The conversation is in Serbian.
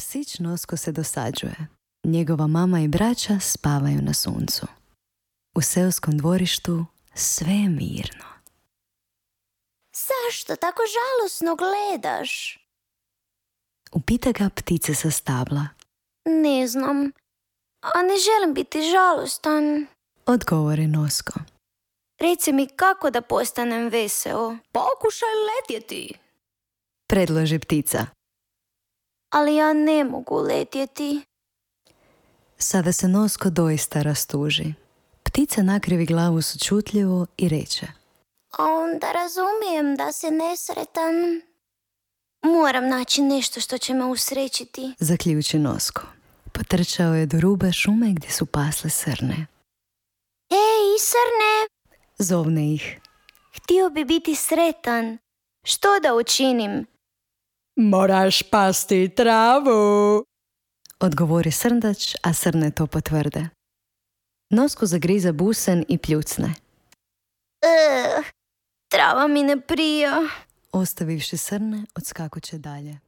Psić Nosko se dosađuje. Njegova mama i braća spavaju na suncu. U seoskom dvorištu sve je mirno. Zašto tako žalosno gledaš? Upita ga ptice sa stabla. Ne znam, a ne želim biti žalostan. Odgovori Nosko. Reci mi kako da postanem veseo. Pokušaj letjeti. Predloži ptica. Ali ja ne mogu letjeti. Sada se Nosko doista rastuži. Ptica nakrivi glavu sućutljivo i reče. A onda razumijem da si nesretan. Moram naći nešto što će me usrećiti. Zaključi Nosko. Potrčao je do ruba šume gdje su pasle srne. Ej, srne! Zovne ih. Htio bi biti sretan. Što da učinim? Moraš pasti travu. Odgovori srndač, a srne to potvrde. Nosko zagriza busen i pljucne. Trava mi ne prija. Ostavivši srne, odskakuće dalje.